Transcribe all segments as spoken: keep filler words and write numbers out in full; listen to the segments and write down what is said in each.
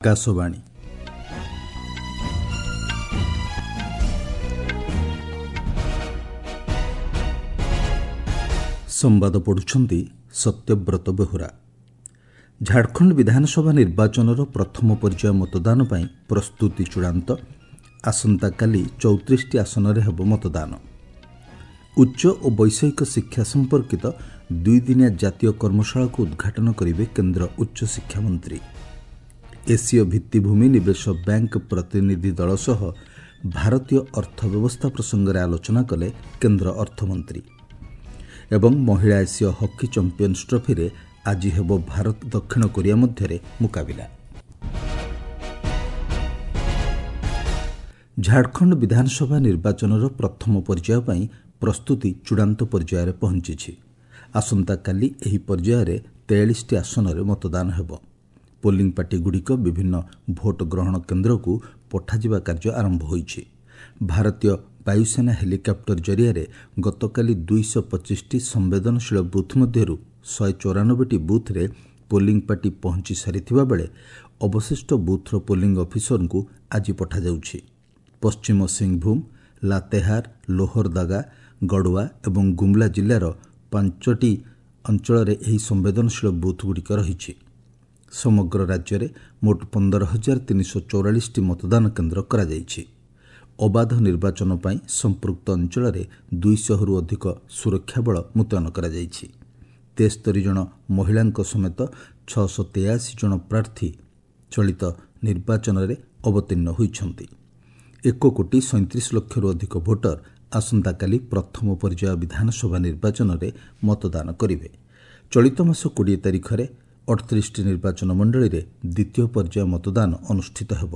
ଆକାଶବାଣୀ। ସମ୍ବାଦ ପଢ଼ୁଛନ୍ତି ସତ୍ୟବ୍ରତ ବେହୁରା। ଝାଡ଼ଖଣ୍ଡ ବିଧାନସଭା ନିର୍ବାଚନର ପ୍ରଥମ ପର୍ଯ୍ୟାୟ ମତଦାନ ପାଇଁ ପ୍ରସ୍ତୁତି ଚୂଡ଼ାନ୍ତ। ଆସନ୍ତାକାଲି ଚଉତିରିଶଟି ଆସନରେ ହେବ ମତଦାନ। ଉଚ୍ଚ ଓ ବୈଷୟିକ ଶିକ୍ଷା ସମ୍ପର୍କିତ ଦୁଇଦିନିଆ ଜାତୀୟ କର୍ମଶାଳାକୁ ଉଦ୍ଘାଟନ କରିବେ କେନ୍ଦ୍ର ଉଚ୍ଚଶିକ୍ଷା ମନ୍ତ୍ରୀ। ଏସୀୟ ଭିତ୍ତିଭୂମି ନିବେଶ ବ୍ୟାଙ୍କ ପ୍ରତିନିଧି ଦଳ ସହ ଭାରତୀୟ ଅର୍ଥ ବ୍ୟବସ୍ଥା ପ୍ରସଙ୍ଗରେ ଆଲୋଚନା କଲେ କେନ୍ଦ୍ର ଅର୍ଥମନ୍ତ୍ରୀ। ଏବଂ ମହିଳା ଏସୀୟ ହକି ଚାମ୍ପିୟନ୍ସ ଟ୍ରଫିରେ ଆଜି ହେବ ଭାରତ ଦକ୍ଷିଣ କୋରିଆ ମଧ୍ୟରେ ମୁକାବିଲା। ଝାଡ଼ଖଣ୍ଡ ବିଧାନସଭା ନିର୍ବାଚନର ପ୍ରଥମ ପର୍ଯ୍ୟାୟ ପାଇଁ ପ୍ରସ୍ତୁତି ଚୂଡ଼ାନ୍ତ ପର୍ଯ୍ୟାୟରେ ପହଞ୍ଚିଛି। ଆସନ୍ତାକାଲି ଏହି ପର୍ଯ୍ୟାୟରେ ତେୟାଳିଶଟି ଆସନରେ ମତଦାନ ହେବ। ପୋଲିଂ ପାର୍ଟିଗୁଡ଼ିକ ବିଭିନ୍ନ ଭୋଟ ଗ୍ରହଣ କେନ୍ଦ୍ରକୁ ପଠାଯିବା କାର୍ଯ୍ୟ ଆରମ୍ଭ ହୋଇଛି। ଭାରତୀୟ ବାୟୁସେନା ହେଲିକପ୍ଟର ଜରିଆରେ ଗତକାଲି ଦୁଇଶହ ପଚିଶଟି ସମ୍ବେଦନଶୀଳ ବୁଥ୍ ମଧ୍ୟରୁ ଶହେ ଚଉରାନବେଟି ବୁଥ୍ରେ ପୋଲିଂ ପାର୍ଟି ପହଞ୍ଚି ସାରିଥିବା ବେଳେ ଅବଶିଷ୍ଟ ବୁଥ୍ର ପୋଲିଂ ଅଫିସରଙ୍କୁ ଆଜି ପଠାଯାଉଛି। ପଶ୍ଚିମ ସିଂଭୂମ, ଲାତେହାର, ଲୋହରଦାଗା, ଗଡ଼ୱା ଏବଂ ଗୁମ୍ଲା ଜିଲ୍ଲାର ପାଞ୍ଚଟି ଅଞ୍ଚଳରେ ଏହି ସମ୍ବେଦନଶୀଳ ବୁଥ୍ଗୁଡ଼ିକ ରହିଛି। ସମଗ୍ର ରାଜ୍ୟରେ ମୋଟ ପନ୍ଦର ହଜାର ତିନିଶହ ଚଉରାଳିଶଟି ମତଦାନ କେନ୍ଦ୍ର କରାଯାଇଛି। ଅବାଧ ନିର୍ବାଚନ ପାଇଁ ସମ୍ପୃକ୍ତ ଅଞ୍ଚଳରେ ଦୁଇଶହରୁ ଅଧିକ ସୁରକ୍ଷା ବଳ ମୁତୟନ କରାଯାଇଛି। ତେସ୍ତରୀ ଜଣ ମହିଳାଙ୍କ ସମେତ ଛଅଶହ ତେୟାଅଶୀ ଜଣ ପ୍ରାର୍ଥୀ ଚଳିତ ନିର୍ବାଚନରେ ଅବତୀର୍ଣ୍ଣ ହୋଇଛନ୍ତି। ଏକ କୋଟି ସଇଁତିରିଶ ଲକ୍ଷରୁ ଅଧିକ ଭୋଟର ଆସନ୍ତାକାଲି ପ୍ରଥମ ପର୍ଯ୍ୟାୟ ବିଧାନସଭା ନିର୍ବାଚନରେ ମତଦାନ କରିବେ। ଚଳିତ ମାସ କୋଡ଼ିଏ ତାରିଖରେ ଅଠତିରିଶଟି ନିର୍ବାଚନ ମଣ୍ଡଳୀରେ ଦ୍ୱିତୀୟ ପର୍ଯ୍ୟାୟ ମତଦାନ ଅନୁଷ୍ଠିତ ହେବ।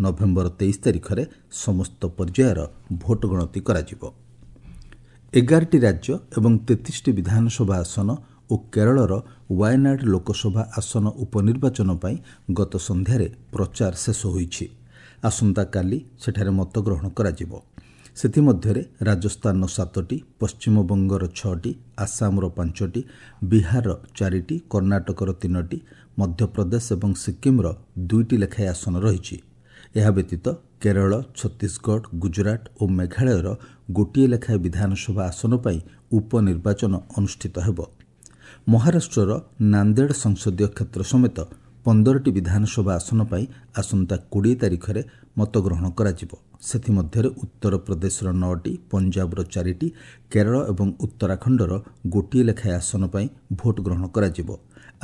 ନଭେମ୍ବର ତେଇଶ ତାରିଖରେ ସମସ୍ତ ପର୍ଯ୍ୟାୟର ଭୋଟ ଗଣତି କରାଯିବ। ଏଗାରଟି ରାଜ୍ୟ ଏବଂ ତେତିଶଟି ବିଧାନସଭା ଆସନ ଓ କେରଳର ୱାୟନାଡ ଲୋକସଭା ଆସନ ଉପନିର୍ବାଚନ ପାଇଁ ଗତ ସନ୍ଧ୍ୟାରେ ପ୍ରଚାର ଶେଷ ହୋଇଛି। ଆସନ୍ତାକାଲି ସେଠାରେ ମତଗ୍ରହଣ କରାଯିବ। ସେଥିମଧ୍ୟରେ ରାଜସ୍ଥାନର ସାତଟି, ପଶ୍ଚିମବଙ୍ଗର ଛଅଟି, ଆସାମର ପାଞ୍ଚଟି, ବିହାରର ଚାରିଟି, କର୍ଣ୍ଣାଟକର ତିନୋଟି, ମଧ୍ୟପ୍ରଦେଶ ଏବଂ ସିକ୍କିମ୍ର ଦୁଇଟି ଲେଖାଏଁ ଆସନ ରହିଛି। ଏହା ବ୍ୟତୀତ କେରଳ, ଛତିଶଗଡ଼, ଗୁଜରାଟ ଓ ମେଘାଳୟର ଗୋଟିଏ ଲେଖାଏଁ ବିଧାନସଭା ଆସନ ପାଇଁ ଉପନିର୍ବାଚନ ଅନୁଷ୍ଠିତ ହେବ। ମହାରାଷ୍ଟ୍ରର ନାନ୍ଦେଡ଼ ସଂସଦୀୟ କ୍ଷେତ୍ର ସମେତ ପନ୍ଦରଟି ବିଧାନସଭା ଆସନ ପାଇଁ ଆସନ୍ତା କୋଡ଼ିଏ ତାରିଖରେ ମତଗ୍ରହଣ କରାଯିବ। ସେଥିମଧ୍ୟରେ ଉତ୍ତରପ୍ରଦେଶର ନଅଟି, ପଞ୍ଜାବର ଚାରିଟି, କେରଳ ଏବଂ ଉତ୍ତରାଖଣ୍ଡର ଗୋଟିଏ ଲେଖାଏଁ ଆସନ ପାଇଁ ଭୋଟ ଗ୍ରହଣ କରାଯିବ।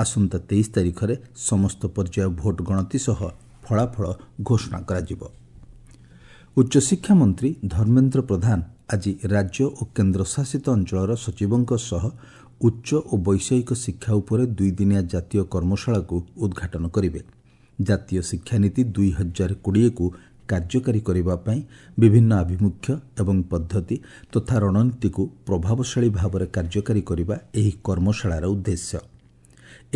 ଆସନ୍ତା ତେଇଶ ତାରିଖରେ ସମସ୍ତ ପର୍ଯ୍ୟାୟ ଭୋଟ ଗଣତି ସହ ଫଳାଫଳ ଘୋଷଣା କରାଯିବ। ଉଚ୍ଚଶିକ୍ଷା ମନ୍ତ୍ରୀ ଧର୍ମେନ୍ଦ୍ର ପ୍ରଧାନ ଆଜି ରାଜ୍ୟ ଓ କେନ୍ଦ୍ରଶାସିତ ଅଞ୍ଚଳର ସଚିବଙ୍କ ସହ ଉଚ୍ଚ ଓ ବୈଷୟିକ ଶିକ୍ଷା ଉପରେ ଦୁଇଦିନିଆ ଜାତୀୟ କର୍ମଶାଳାକୁ ଉଦ୍ଘାଟନ କରିବେ। ଜାତୀୟ ଶିକ୍ଷାନୀତି ଦୁଇ ହଜାର କୋଡ଼ିଏକୁ କାର୍ଯ୍ୟକାରୀ କରିବା ପାଇଁ ବିଭିନ୍ନ ଆଭିମୁଖ୍ୟ ଏବଂ ପଦ୍ଧତି ତଥା ରଣନୀତିକୁ ପ୍ରଭାବଶାଳୀ ଭାବରେ କାର୍ଯ୍ୟକାରୀ କରିବା ଏହି କର୍ମଶାଳାର ଉଦ୍ଦେଶ୍ୟ।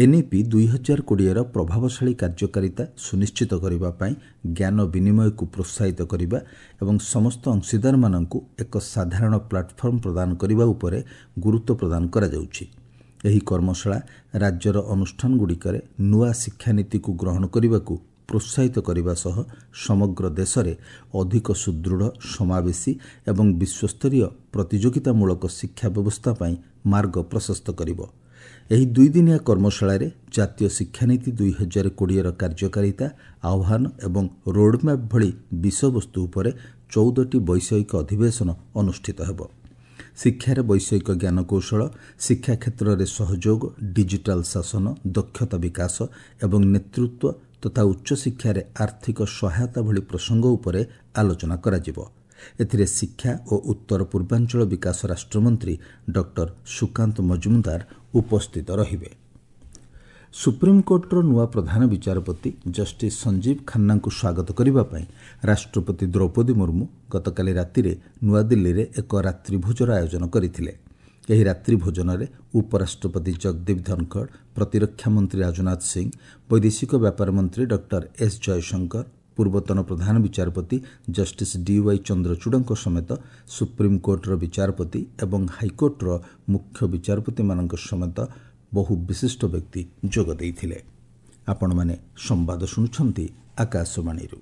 ଏନ୍ଇପି ଦୁଇ ହଜାର କୋଡ଼ିଏର ପ୍ରଭାବଶାଳୀ କାର୍ଯ୍ୟକାରିତା ସୁନିଶ୍ଚିତ କରିବା ପାଇଁ ଜ୍ଞାନ ବିନିମୟକୁ ପ୍ରୋତ୍ସାହିତ କରିବା ଏବଂ ସମସ୍ତ ଅଂଶୀଦାରମାନଙ୍କୁ ଏକ ସାଧାରଣ ପ୍ଲାଟଫର୍ମ ପ୍ରଦାନ କରିବା ଉପରେ ଗୁରୁତ୍ୱ ପ୍ରଦାନ କରାଯାଉଛି। ଏହି କର୍ମଶାଳା ରାଜ୍ୟର ଅନୁଷ୍ଠାନଗୁଡ଼ିକରେ ନୂଆ ଶିକ୍ଷାନୀତିକୁ ଗ୍ରହଣ କରିବାକୁ ପ୍ରୋତ୍ସାହିତ କରିବା ସହ ସମଗ୍ର ଦେଶରେ ଅଧିକ ସୁଦୃଢ଼, ସମାବେଶୀ ଏବଂ ବିଶ୍ୱସ୍ତରୀୟ ପ୍ରତିଯୋଗିତାମୂଳକ ଶିକ୍ଷା ବ୍ୟବସ୍ଥା ପାଇଁ ମାର୍ଗ ପ୍ରଶସ୍ତ କରିବ। ଏହି ଦୁଇଦିନିଆ କର୍ମଶାଳାରେ ଜାତୀୟ ଶିକ୍ଷାନୀତି ଦୁଇ ହଜାର କୋଡ଼ିଏର କାର୍ଯ୍ୟକାରିତା, ଆହ୍ୱାନ ଏବଂ ରୋଡ୍ମ୍ୟାପ୍ ଭଳି ବିଷୟବସ୍ତୁ ଉପରେ ଚଉଦଟି ବୈଷୟିକ ଅଧିବେଶନ ଅନୁଷ୍ଠିତ ହେବ। ଶିକ୍ଷାରେ ବୈଷୟିକ ଜ୍ଞାନକୌଶଳ, ଶିକ୍ଷା କ୍ଷେତ୍ରରେ ସହଯୋଗ, ଡିଜିଟାଲ ଶାସନ, ଦକ୍ଷତା ବିକାଶ ଏବଂ ନେତୃତ୍ୱ ତଥା ଉଚ୍ଚଶିକ୍ଷାରେ ଆର୍ଥିକ ସହାୟତା ଭଳି ପ୍ରସଙ୍ଗ ଉପରେ ଆଲୋଚନା କରାଯିବ। ଏଥିରେ ଶିକ୍ଷା ଓ ଉତ୍ତର ପୂର୍ବାଞ୍ଚଳ ବିକାଶ ରାଷ୍ଟ୍ରମନ୍ତ୍ରୀ ଡକ୍ଟର ସୁକାନ୍ତ ମଜୁମଦାର ଉପସ୍ଥିତ ରହିବେ। ସୁପ୍ରିମକୋର୍ଟର ନୂଆ ପ୍ରଧାନ ବିଚାରପତି ଜଷ୍ଟିସ୍ ସଞ୍ଜୀବ ଖାନ୍ନାଙ୍କୁ ସ୍ୱାଗତ କରିବା ପାଇଁ ରାଷ୍ଟ୍ରପତି ଦ୍ରୌପଦୀ ମୁର୍ମୁ ଗତକାଲି ରାତିରେ ନୂଆଦିଲ୍ଲୀରେ ଏକ ରାତ୍ରିଭୋଜର ଆୟୋଜନ କରିଥିଲେ। ଏହି ରାତ୍ରିଭୋଜନରେ ଉପରାଷ୍ଟ୍ରପତି ଜଗଦୀପ ଧନଖଡ଼, ପ୍ରତିରକ୍ଷା ମନ୍ତ୍ରୀ ରାଜନାଥ ସିଂ, ବୈଦେଶିକ ବ୍ୟାପାର ମନ୍ତ୍ରୀ ଡକ୍ଟର ଏସ୍ ଜୟଶଙ୍କର, ପୂର୍ବତନ ପ୍ରଧାନ ବିଚାରପତି ଜଷ୍ଟିସ୍ ଡିୱାଇ ଚନ୍ଦ୍ରଚୂଡ଼ଙ୍କ ସମେତ ସୁପ୍ରିମକୋର୍ଟର ବିଚାରପତି ଏବଂ ହାଇକୋର୍ଟର ମୁଖ୍ୟ ବିଚାରପତିମାନଙ୍କ ସମେତ ବହୁ ବିଶିଷ୍ଟ ବ୍ୟକ୍ତି ଯୋଗ ଦେଇଥିଲେ। ଆପଣମାନେ ସମ୍ବାଦ ଶୁଣୁଛନ୍ତି ଆକାଶବାଣୀରୁ।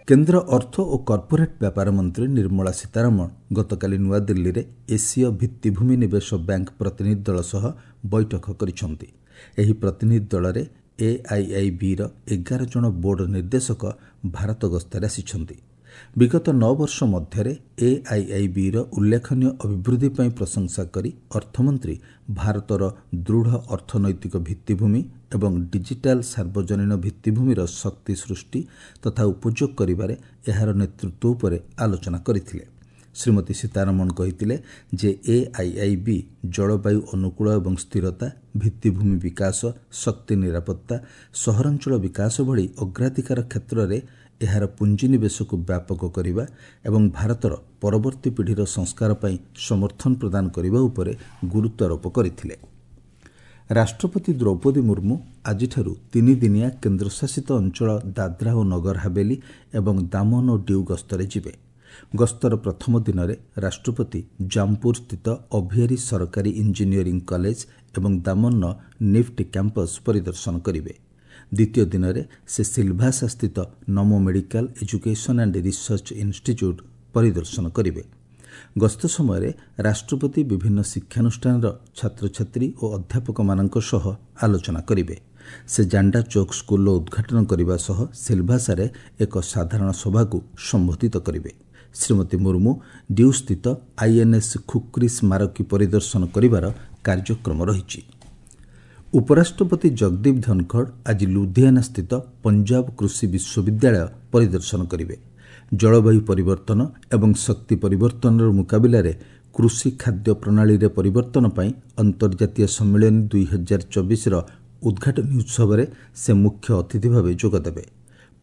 କେନ୍ଦ୍ର ଅର୍ଥ ଓ କର୍ପୋରେଟ୍ ବ୍ୟାପାର ମନ୍ତ୍ରୀ ନିର୍ମଳା ସୀତାରମଣ ଗତକାଲି ନୂଆଦିଲ୍ଲୀରେ ଏସୀୟ ଭିତ୍ତିଭୂମି ନିବେଶ ବ୍ୟାଙ୍କ ପ୍ରତିନିଧି ଦଳ ସହ ବୈଠକ କରିଛନ୍ତି। ଏହି ପ୍ରତିନିଧି ଦଳରେ ଏଆଇଆଇବିର ଏଗାର ଜଣ ବୋର୍ଡ ନିର୍ଦ୍ଦେଶକ ଭାରତ ଗସ୍ତରେ ଆସିଛନ୍ତି। ବିଗତ ନଅ ବର୍ଷ ମଧ୍ୟରେ ଏଆଇଆଇବିର ଉଲ୍ଲେଖନୀୟ ଅଭିବୃଦ୍ଧି ପାଇଁ ପ୍ରଶଂସା କରି ଅର୍ଥମନ୍ତ୍ରୀ ଭାରତର ଦୃଢ଼ ଅର୍ଥନୈତିକ ଭିତ୍ତିଭୂମି ଏବଂ ଡିଜିଟାଲ ସାର୍ବଜନୀନ ଭିତ୍ତିଭୂମିର ଶକ୍ତି ସୃଷ୍ଟି ତଥା ଉପଯୋଗ କରିବାରେ ଏହାର ନେତୃତ୍ୱ ଉପରେ ଆଲୋଚନା କରିଥିଲେ। ଶ୍ରୀମତୀ ସୀତାରମଣ କହିଥିଲେ ଯେ ଏଆଇଆଇବି ଜଳବାୟୁ ଅନୁକୂଳ ଏବଂ ସ୍ଥିରତା, ଭିତ୍ତିଭୂମି ବିକାଶ, ଶକ୍ତି ନିରାପତ୍ତା, ସହରାଞ୍ଚଳ ବିକାଶ ଭଳି ଅଗ୍ରାଧିକାର କ୍ଷେତ୍ରରେ ଏହାର ପୁଞ୍ଜିନିବେଶକୁ ବ୍ୟାପକ କରିବା ଏବଂ ଭାରତର ପରବର୍ତ୍ତୀ ପିଢ଼ିର ସଂସ୍କାର ପାଇଁ ସମର୍ଥନ ପ୍ରଦାନ କରିବା ଉପରେ ଗୁରୁତ୍ୱାରୋପ କରିଥିଲେ। ରାଷ୍ଟ୍ରପତି ଦ୍ରୌପଦୀ ମୁର୍ମୁ ଆଜିଠାରୁ ତିନିଦିନିଆ କେନ୍ଦ୍ରଶାସିତ ଅଞ୍ଚଳ ଦାଦ୍ରା ଓ ନଗର ହାବେଲି ଏବଂ ଦାମନ ଓ ଡିଉ ଗସ୍ତରେ ଯିବେ। ଗସ୍ତର ପ୍ରଥମ ଦିନରେ ରାଷ୍ଟ୍ରପତି ଜାମପୁର ସ୍ଥିତ ଅଭିଆରୀ ସରକାରୀ ଇଞ୍ଜିନିୟରିଂ କଲେଜ ଏବଂ ଦାମନର ନିଫ୍ଟ କ୍ୟାମ୍ପସ୍ ପରିଦର୍ଶନ କରିବେ। ଦ୍ୱିତୀୟ ଦିନରେ ସେ ସିଲଭାସା ସ୍ଥିତ Namo medical education and research institute ପରିଦର୍ଶନ କରିବେ। ଗସ୍ତ ସମୟରେ ରାଷ୍ଟ୍ରପତି ବିଭିନ୍ନ ଶିକ୍ଷାନୁଷ୍ଠାନର ଛାତ୍ରଛାତ୍ରୀ ଓ ଅଧ୍ୟାପକମାନଙ୍କ ସହ ଆଲୋଚନା କରିବେ। ସେ ଜାଣ୍ଡା ଚୌକ ସ୍କୁଲର ଉଦ୍ଘାଟନ କରିବା ସହ ସିଲଭାସାରେ ଏକ ସାଧାରଣ ସଭାକୁ ସମ୍ବୋଧିତ କରିବେ। ଶ୍ରୀମତୀ ମୁର୍ମୁ ଡିଉସ୍ଥିତ ଆଇଏନ୍ଏସ୍ ଖୁକ୍ରି ସ୍ମାରକୀ ପରିଦର୍ଶନ କରିବାର କାର୍ଯ୍ୟକ୍ରମ ରହିଛି। ଉପରାଷ୍ଟ୍ରପତି ଜଗଦୀପ ଧନଖଡ଼ ଆଜି ଲୁଧିଆନା ସ୍ଥିତ ପଞ୍ଜାବ କୃଷି ବିଶ୍ୱବିଦ୍ୟାଳୟ ପରିଦର୍ଶନ କରିବେ। ଜଳବାୟୁ ପରିବର୍ତ୍ତନ ଏବଂ ଶକ୍ତି ପରିବର୍ତ୍ତନର ମୁକାବିଲାରେ କୃଷି ଖାଦ୍ୟ ପ୍ରଣାଳୀରେ ପରିବର୍ତ୍ତନ ପାଇଁ ଅନ୍ତର୍ଜାତୀୟ ସମ୍ମିଳନୀ ଦୁଇ ହଜାର ଚବିଶର ଉଦ୍ଘାଟନୀ ଉତ୍ସବରେ ସେ ମୁଖ୍ୟ ଅତିଥି ଭାବେ ଯୋଗଦେବେ।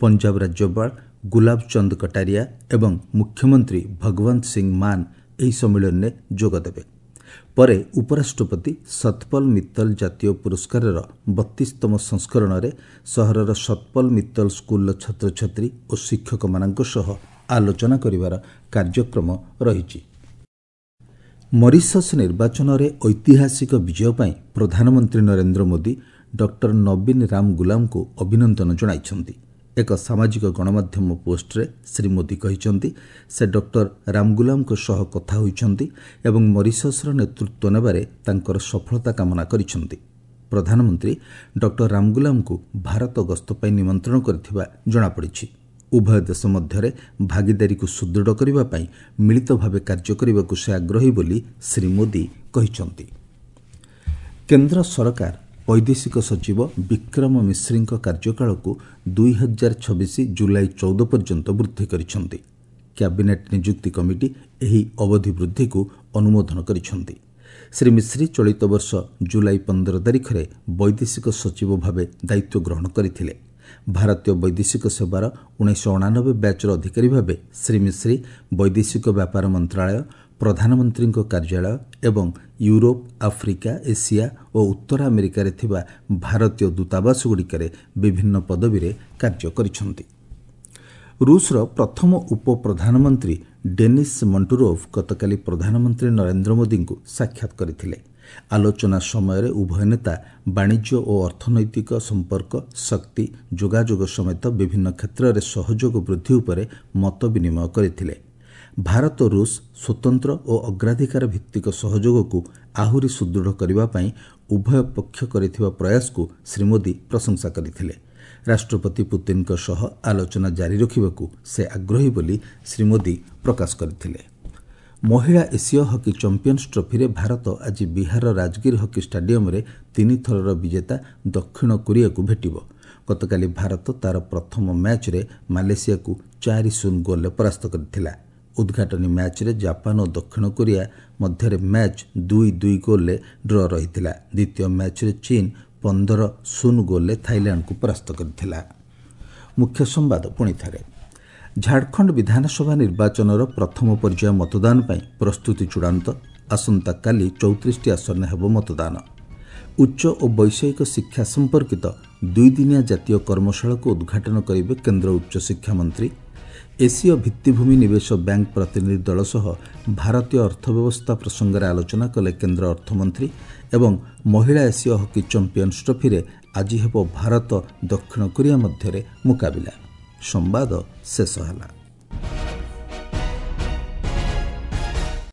ପଞ୍ଜାବ ରାଜ୍ୟପାଳ ଗୁଲାବ ଚନ୍ଦ କଟାରିଆ ଏବଂ ମୁଖ୍ୟମନ୍ତ୍ରୀ ଭଗବନ୍ତ ସିଂ ମାନ ଏହି ସମ୍ମିଳନୀରେ ଯୋଗଦେବେ। ପରେ ଉପରାଷ୍ଟ୍ରପତି ସତପଲ ମିତ୍ତଲ ଜାତୀୟ ପୁରସ୍କାରର ବତିଶତମ ସଂସ୍କରଣରେ ସହରର ସତପଲ ମିତ୍ତଲ ସ୍କୁଲର ଛାତ୍ରଛାତ୍ରୀ ଓ ଶିକ୍ଷକମାନଙ୍କ ସହ ଆଲୋଚନା କରିବାର କାର୍ଯ୍ୟକ୍ରମ ରହିଛି। ମରିସସ୍ ନିର୍ବାଚନରେ ଐତିହାସିକ ବିଜୟ ପାଇଁ ପ୍ରଧାନମନ୍ତ୍ରୀ ନରେନ୍ଦ୍ର ମୋଦି ଡକ୍ଟର ନବୀନ ରାମ ଗୁଲାମଙ୍କୁ ଅଭିନନ୍ଦନ ଜଣାଇଛନ୍ତି। ଏକ ସାମାଜିକ ଗଣମାଧ୍ୟମ ପୋଷ୍ଟରେ ଶ୍ରୀ ମୋଦି କହିଛନ୍ତି, ସେ ଡକ୍ଟର ରାମଗୁଲାମଙ୍କ ସହ କଥା ହୋଇଛନ୍ତି ଏବଂ ମରିସସ୍ର ନେତୃତ୍ୱ ନେବାରେ ତାଙ୍କର ସଫଳତା କାମନା କରିଛନ୍ତି। ପ୍ରଧାନମନ୍ତ୍ରୀ ଡକ୍ଟର ରାମଗୁଲାମଙ୍କୁ ଭାରତ ଗସ୍ତ ପାଇଁ ନିମନ୍ତ୍ରଣ କରିଥିବା ଜଣାପଡ଼ିଛି। ଉଭୟ ଦେଶ ମଧ୍ୟରେ ଭାଗିଦାରୀକୁ ସୁଦୃଢ଼ କରିବା ପାଇଁ ମିଳିତ ଭାବେ କାର୍ଯ୍ୟ କରିବାକୁ ସେ ଆଗ୍ରହୀ ବୋଲି ଶ୍ରୀ ମୋଦି କହିଛନ୍ତି। କେନ୍ଦ୍ର ସରକାର ବୈଦେଶିକ ସଚିବ ବିକ୍ରମ ମିଶ୍ରିଙ୍କ କାର୍ଯ୍ୟକାଳକୁ ଦୁଇ ହଜାର ଛବିଶ ଜୁଲାଇ ଚଉଦ ପର୍ଯ୍ୟନ୍ତ ବୃଦ୍ଧି କରିଛନ୍ତି। କ୍ୟାବିନେଟ୍ ନିଯୁକ୍ତି କମିଟି ଏହି ଅବଧି ବୃଦ୍ଧିକୁ ଅନୁମୋଦନ କରିଛନ୍ତି। ଶ୍ରୀ ମିଶ୍ରି ଚଳିତ ବର୍ଷ ଜୁଲାଇ ପନ୍ଦର ତାରିଖରେ ବୈଦେଶିକ ସଚିବ ଭାବେ ଦାୟିତ୍ୱ ଗ୍ରହଣ କରିଥିଲେ। ଭାରତୀୟ ବୈଦେଶିକ ସେବାର ଉଣେଇଶହ ଅଣାନବେ ବ୍ୟାଚ୍ର ଅଧିକାରୀ ଭାବେ ଶ୍ରୀ ମିଶ୍ରି ବୈଦେଶିକ ବ୍ୟାପାର ମନ୍ତ୍ରଣାଳୟ, ପ୍ରଧାନମନ୍ତ୍ରୀଙ୍କ କାର୍ଯ୍ୟାଳୟ ଏବଂ ୟୁରୋପ, ଆଫ୍ରିକା, ଏସିଆ ଓ ଉତ୍ତର ଆମେରିକାରେ ଥିବା ଭାରତୀୟ ଦୂତାବାସଗୁଡ଼ିକରେ ବିଭିନ୍ନ ପଦବୀରେ କାର୍ଯ୍ୟ କରିଛନ୍ତି। ରୁଷର ପ୍ରଥମ ଉପପ୍ରଧାନମନ୍ତ୍ରୀ ଡେନିସ୍ ମଣ୍ଟୁରୋଭ ଗତକାଲି ପ୍ରଧାନମନ୍ତ୍ରୀ ନରେନ୍ଦ୍ର ମୋଦିଙ୍କୁ ସାକ୍ଷାତ କରିଥିଲେ। ଆଲୋଚନା ସମୟରେ ଉଭୟ ନେତା ବାଣିଜ୍ୟ ଓ ଅର୍ଥନୈତିକ ସମ୍ପର୍କ, ଶକ୍ତି, ଯୋଗାଯୋଗ ସମେତ ବିଭିନ୍ନ କ୍ଷେତ୍ରରେ ସହଯୋଗ ବୃଦ୍ଧି ଉପରେ ମତ ବିନିମୟ କରିଥିଲେ। ଭାରତ ରୁଷ ସ୍ୱତନ୍ତ୍ର ଓ ଅଗ୍ରାଧିକାର ଭିତ୍ତିକ ସହଯୋଗକୁ ଆହୁରି ସୁଦୃଢ଼ କରିବା ପାଇଁ ଉଭୟ ପକ୍ଷ କରିଥିବା ପ୍ରୟାସକୁ ଶ୍ରୀ ମୋଦି ପ୍ରଶଂସା କରିଥିଲେ। ରାଷ୍ଟ୍ରପତି ପୁତିନଙ୍କ ସହ ଆଲୋଚନା ଜାରି ରଖିବାକୁ ସେ ଆଗ୍ରହୀ ବୋଲି ଶ୍ରୀ ମୋଦି ପ୍ରକାଶ କରିଥିଲେ। ମହିଳା ଏସୀୟ ହକି ଚାମ୍ପିୟନ୍ସ ଟ୍ରଫିରେ ଭାରତ ଆଜି ବିହାରର ରାଜଗିର ହକି ଷ୍ଟାଡିୟମରେ ତିନିଥରର ବିଜେତା ଦକ୍ଷିଣ କୋରିଆକୁ ଭେଟିବ। ଗତକାଲି ଭାରତ ତା'ର ପ୍ରଥମ ମ୍ୟାଚ୍ରେ ମାଲେସିଆକୁ ଚାରି ଶୂନ ଗୋଲ୍ରେ ପରାସ୍ତ କରିଥିଲା। ଉଦ୍ଘାଟନୀ ମ୍ୟାଚ୍ରେ ଜାପାନ ଓ ଦକ୍ଷିଣ କୋରିଆ ମଧ୍ୟରେ ମ୍ୟାଚ୍ ଦୁଇ ଦୁଇ ଗୋଲ୍ରେ ଡ୍ର ରହିଥିଲା। ଦ୍ୱିତୀୟ ମ୍ୟାଚ୍ରେ ଚୀନ୍ ପନ୍ଦର ଶୂନ ଗୋଲ୍ରେ ଥାଇଲାଣ୍ଡକୁ ପରାସ୍ତ କରିଥିଲା। ମୁଖ୍ୟ ସମ୍ବାଦ ପୁଣି ଥରେ। ଝାଡ଼ଖଣ୍ଡ ବିଧାନସଭା ନିର୍ବାଚନର ପ୍ରଥମ ପର୍ଯ୍ୟାୟ ମତଦାନ ପାଇଁ ପ୍ରସ୍ତୁତି ଚୂଡ଼ାନ୍ତ। ଆସନ୍ତାକାଲି ଚଉତିରିଶଟି ଆସନରେ ହେବ ମତଦାନ। ଉଚ୍ଚ ଓ ବୈଷୟିକ ଶିକ୍ଷା ସମ୍ପର୍କିତ ଦୁଇଦିନିଆ ଜାତୀୟ କର୍ମଶାଳାକୁ ଉଦ୍ଘାଟନ କରିବେ କେନ୍ଦ୍ର ଉଚ୍ଚଶିକ୍ଷା ମନ୍ତ୍ରୀ। ଏସୀୟ ଭିତ୍ତିଭୂମି ନିବେଶ ବ୍ୟାଙ୍କ ପ୍ରତିନିଧି ଦଳ ସହ ଭାରତୀୟ ଅର୍ଥବ୍ୟବସ୍ଥା ପ୍ରସଙ୍ଗରେ ଆଲୋଚନା କଲେ କେନ୍ଦ୍ର ଅର୍ଥମନ୍ତ୍ରୀ। ଏବଂ ମହିଳା ଏସୀୟ ହକି ଚାମ୍ପିୟନ୍ସ ଟ୍ରଫିରେ ଆଜି ହେବ ଭାରତ ଦକ୍ଷିଣ କୋରିଆ ମଧ୍ୟରେ ମୁକାବିଲା। ସମ୍ବାଦ ଶେଷ ହେଲା।